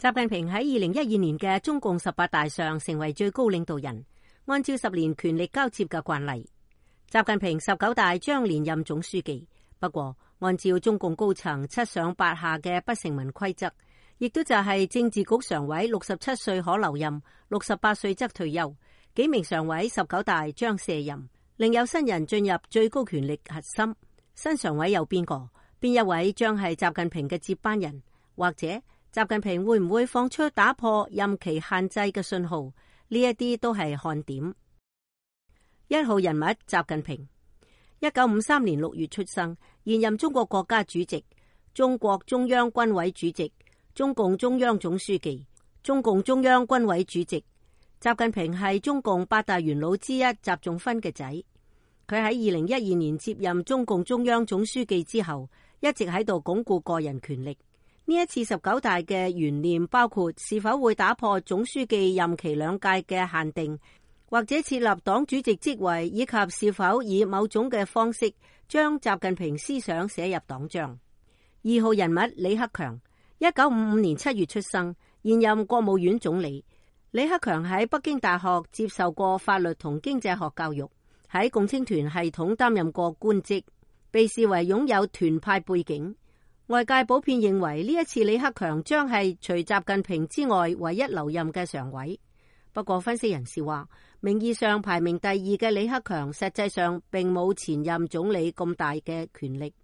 習近平喺2012年嘅中共18大上成為最高領導人，按照10年權力交接嘅慣例，習近平19大將連任總書記。不過，按照中共高層7上8下嘅不成文規則，亦都就係政治局常委67歲可留任，68歲則退休。幾名常委19大將卸任，另有新人進入最高權力核心。新常委有邊個？邊一位將係習近平嘅接班人？或者習近平會唔會放出打破任期限制嘅信號？呢一啲都係看點。1號人物習近平，1953年6月出生，現任中國國家主席、中國中央軍委主席、中共中央總書記、中共中央軍委主席。習近平係中共8大元老之一習仲勳嘅仔。佢喺2012年接任中共中央總書記之後，一直喺度鞏固個人權力。呢一次19大嘅懸念包括是否會打破總書記任期2屆嘅限定，或者設立黨主席職位，以及是否以某種嘅方式將習近平思想寫入黨章。2號人物李克強，1955年7月出生，現任國務院總理。李克強喺北京大學接受過法律同經濟學教育，喺共青團系統擔任過官職，被視為擁有團派背景。外界普遍認為呢一次李克強將係除習近平之外唯一留任嘅常委。不過分析人士話，名義上排名第2嘅李克強實際上並冇前任總理咁大嘅權力。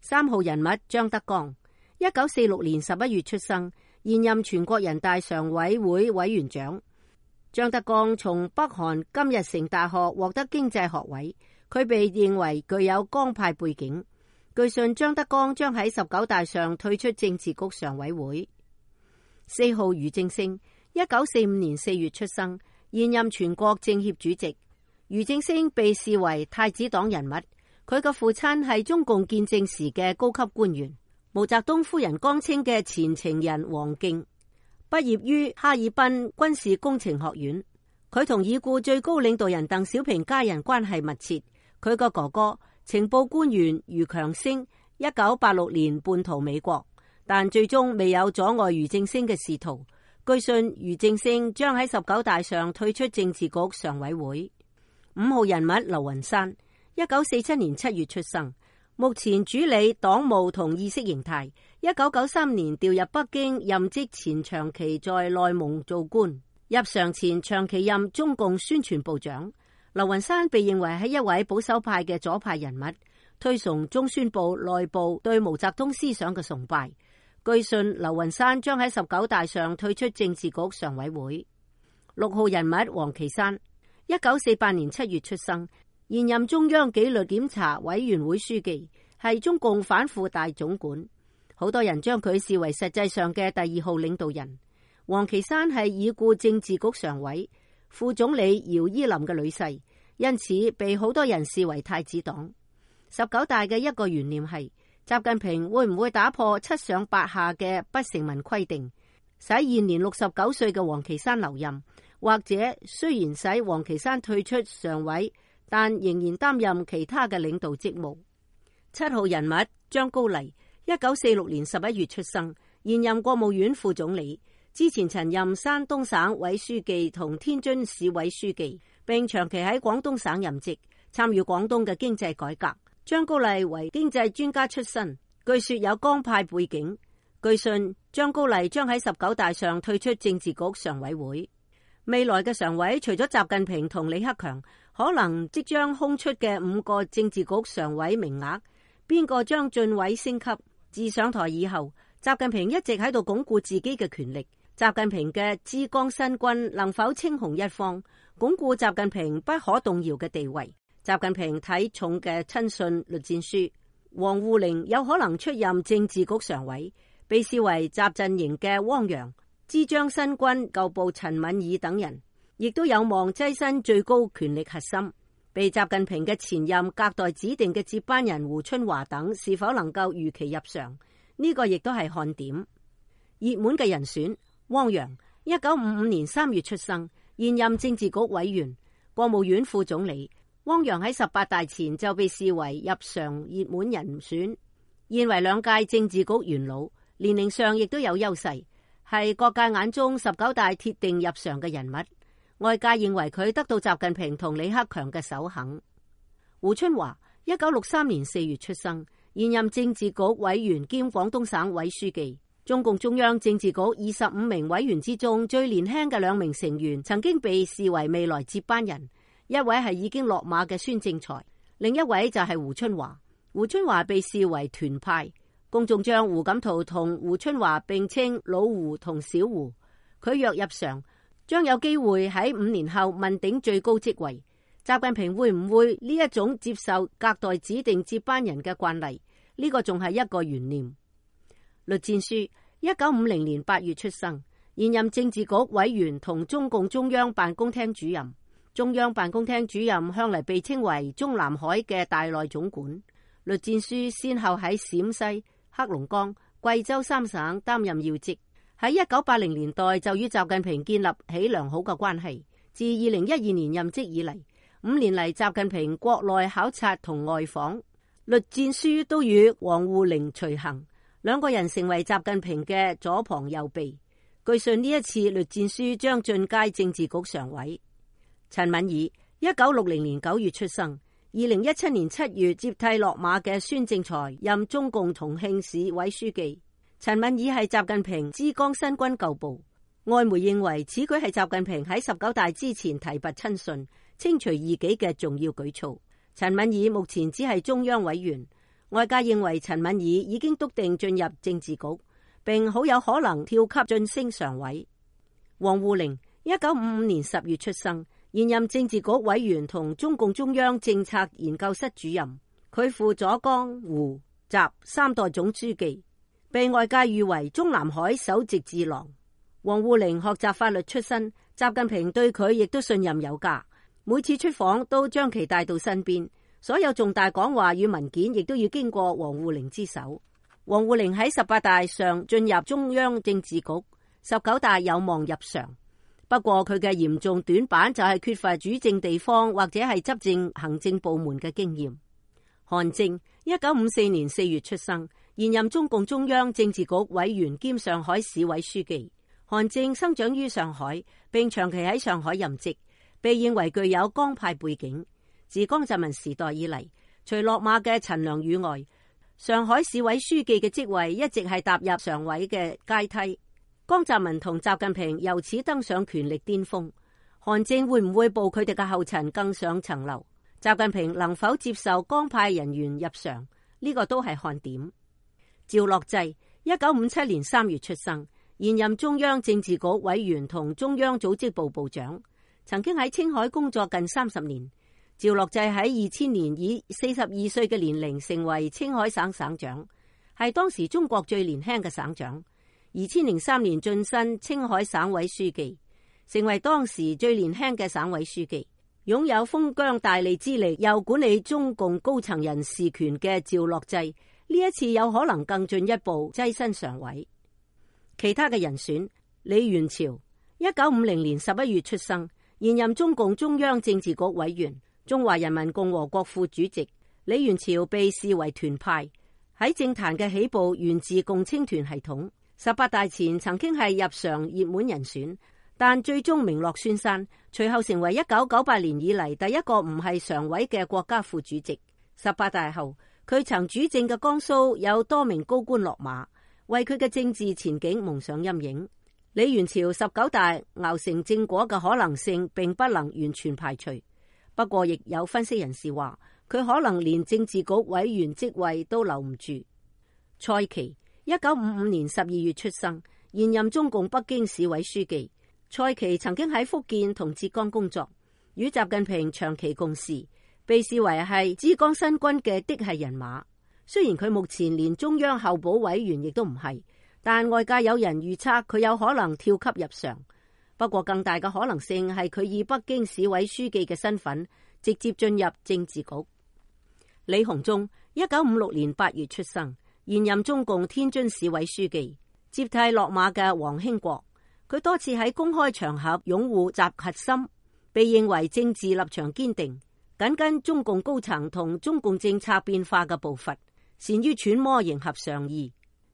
3號人物張德江，1946年11月出生，現任全國人大常委會委員長。張德江從北韓金日成大學獲得經濟學位，佢被認為具有江派背景。據信張德江將喺19大上退出政治局常委會。4號俞正聲，1945年4月出生，現任全國政協主席。俞正聲被視為太子黨人物，佢嘅父親係中共建政時嘅高級官員，毛澤東夫人江青嘅前情人王敬，畢業於哈爾濱軍事工程學院。佢同已故最高領導人鄧小平家人關係密切。佢個哥哥情報官員俞強聲1986年叛逃美國，但最終未有阻礙俞正聲嘅仕途。據信俞正聲將喺19大上退出政治局常委會。5號人物劉雲山，1947年7月出生，目前主理黨務同意識形態。1993年調入北京任職前，長期在內蒙做官，入常前長期任中共宣傳部長。劉雲山被認為係一位保守派嘅左派人物，推崇中宣部內部對毛澤東思想嘅崇拜。據信劉雲山將喺19大上退出政治局常委會。6號人物王岐山，1948年7月出生，現任中央紀律檢查委員會書記，係中共反腐大總管。好多人將佢視為實際上嘅第2號領導人。王岐山係已故政治局常委、副總理姚依林嘅女婿，因此被好多人視為太子黨。19大嘅一個懸念係習近平會唔會打破7上8下嘅不成文規定，使現年69歲嘅王岐山留任，或者雖然使王岐山退出常委，但仍然擔任其他嘅領導職務。7號人物張高麗，1946年11月出生，現任國務院副總理。之前曾任山東省委書記同天津市委書記，並長期喺廣東省任職，參與廣東嘅經濟改革。張高麗為經濟專家出身，據說有江派背景。據信張高麗將喺19大上退出政治局常委會。未來嘅常委除咗習近平同李克強，可能即將空出嘅5個政治局常委名額，邊個將晉位升級？自上台以後，習近平一直喺度鞏固自己嘅權力。習近平嘅之江新軍能否稱雄一方，鞏固習近平不可動搖嘅地位？習近平睇重嘅親信栗戰書王滬寧有可能出任政治局常委，被視為習陣營嘅汪洋。之江新軍舊部陳敏爾等人亦都有望躋身最高權力核心。被習近平嘅前任隔代指定嘅接班人胡春華等是否能夠如期入常，呢個亦都係看點。熱門嘅人選汪洋，1955年3月出生，現任政治局委員、國務院副總理。汪洋喺18大前就被視為入常熱門人選，現為2屆政治局元老，年齡上亦都有優勢。係各界眼中19大鐵定入常嘅人物，外界認為佢得到習近平同李克強嘅首肯。胡春華1963年4月出生，現任政治局委員兼廣東省委書記。中共中央政治局25名委員之中最年輕嘅2名成員曾經被視為未來接班人，一位係已經落馬嘅孫政才，另一位就係胡春華。胡春華被視為團派，公眾將胡錦濤同胡春華並稱老胡同小胡。佢若入常，將有機會喺5年後問鼎最高職位。習近平會唔會呢一種接受隔代指定接班人嘅慣例？呢個仲係一個懸念。栗戰書1950年8月出生，現任政治局委員同中共中央辦公廳主任。中央辦公廳主任向嚟被稱為中南海嘅大內總管。栗戰書先後喺陝西、黑龍江、貴州3省擔任要職。喺1980年代就與習近平建立起良好嘅關係。自2012年任職以嚟，5年嚟習近平國內考察同外訪，栗戰書都與王滬寧隨行。兩個人成為習近平嘅左膀右臂。據信呢一次栗戰書將進階政治局常委。陳敏爾1960年9月出生，2017年7月接替落馬嘅孫政才任中共重慶市委書記。陳敏爾係習近平之江新軍舊部，外媒認為此舉係習近平喺19大之前提拔親信、清除異己嘅重要舉措。陳敏爾目前只係中央委員。外界認為陳敏爾已經篤定進入政治局，並好有可能跳級晉升常委。王滬寧1955年10月出生，現任政治局委員同中共中央政策研究室主任。佢輔佐江胡習3代總書記，被外界譽為中南海首席智囊。王滬寧學習法律出身，習近平對佢亦都信任有加，每次出訪都將其帶到身邊。所有重大講話與文件亦都要經過王滬寧之手。王滬寧喺18大上進入中央政治局，19大有望入常。不過佢嘅嚴重短板就係缺乏主政地方或者係執政行政部門嘅經驗。韓正1954年4月出生，現任中共中央政治局委員兼上海市委書記。韓正生長於上海，並長期喺上海任職，被認為具有江派背景。自江澤民時代以嚟，除落馬嘅陳良宇外，上海市委書記嘅職位一直係踏入常委嘅階梯。江澤民同習近平由此登上權力巔峰，韓正會唔會步佢哋嘅後塵更上層樓？習近平能否接受江派人員入常？呢個都係看點。趙樂際1957年3月出生，現任中央政治局委員同中央組織部部長，曾經喺青海工作近30年。趙樂際喺2000年以42歲嘅年齡成為青海省省長，係當時中國最年輕嘅省長。2003年晉身青海省委書記，成為當時最年輕嘅省委書記。擁有封疆大吏之力又管理中共高層人事權嘅趙樂際，呢一次有可能更進一步躋身常委。其他嘅人選，李源潮1950年11月出生，現任中共中央政治局委員、中華人民共和國副主席。李源潮被視為團派，喺政壇嘅起步源自共青團系統。18大前曾經係入常熱門人選，但最終名落孫山，隨後成為1998年以嚟第一個唔係常委嘅國家副主席。18大後，佢曾主政嘅江蘇有多名高官落馬，為佢嘅政治前景蒙上陰影。李源潮19大熬成正果嘅可能性並不能完全排除。不過，亦有分析人士話，佢可能連政治局委員職位都留唔住。蔡奇1955年12月出生，現任中共北京市委書記。蔡奇曾經喺福建同浙江工作，與習近平長期共事，被視為係之江新軍嘅嫡系人馬。雖然佢目前連中央候補委員亦都唔係，但外界有人預測佢有可能跳級入常。不過更大嘅可能性係佢以北京市委書記嘅身份直接進入政治局。李鴻忠1956年8月出生，現任中共天津市委書記，接替落馬嘅黃興國。佢多次喺公開場合擁護習核心，被認為政治立場堅定，緊跟中共高層同中共政策變化嘅步伐，善於揣摩迎合上意。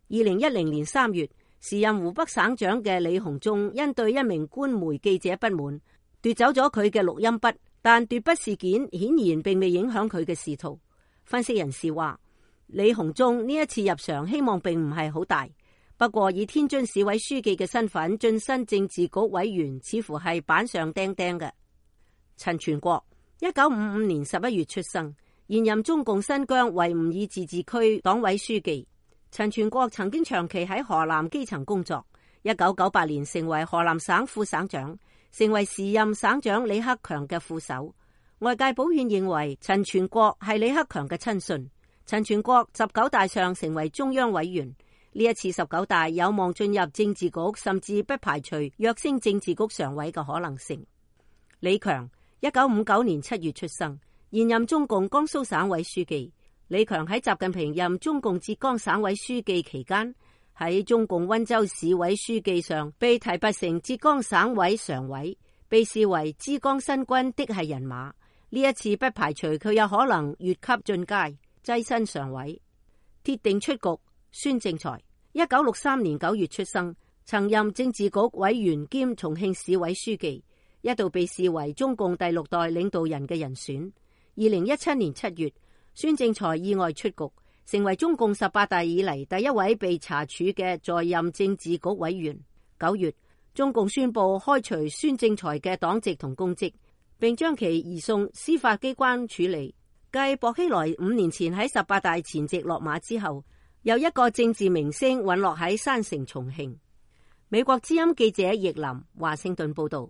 2010年3月，時任湖北省長嘅李鴻忠因對一名官媒記者不滿，奪走咗佢嘅錄音筆，但奪筆事件顯然並未影響佢嘅仕途。分析人士話，李鴻忠呢一次入常希望並唔係好大，不過以天津市委書記嘅身份晉身政治局委員，似乎係板上釘釘嘅。陳全國1955年11月出生，現任中共新疆維吾爾自治區黨委書記。陳全國曾經長期喺河南基層工作，1998年成為河南省副省長，成為時任省長李克強嘅副手。外界普遍認為陳全國係李克強嘅親信。陳全國19大上成為中央委員，呢一次19大有望進入政治局，甚至不排除躍升政治局常委嘅可能性。李強1959年7月出生，現任中共江蘇省委書記。李強喺習近平任中共浙江省委書記期間，喺中共溫州市委書記上被提拔成浙江省委常委，被視為浙江新軍的係人馬。呢一次不排除佢有可能越級進階，躋身常委。鐵定出局。孫政才1963年9月出生，曾任政治局委員兼重慶市委書記，一度被視為中共第6代領導人嘅人選。2017年7月，孫政才意外出局，成為中共18大以嚟第一位被查處嘅在任政治局委員。9月，中共宣布開除孫政才嘅黨籍同公職，並將其移送司法機關處理。繼薄熙來5年前喺18大前夕落馬之後，又一個政治明星隕落喺山城重慶。美國之音記者易林華盛頓報道。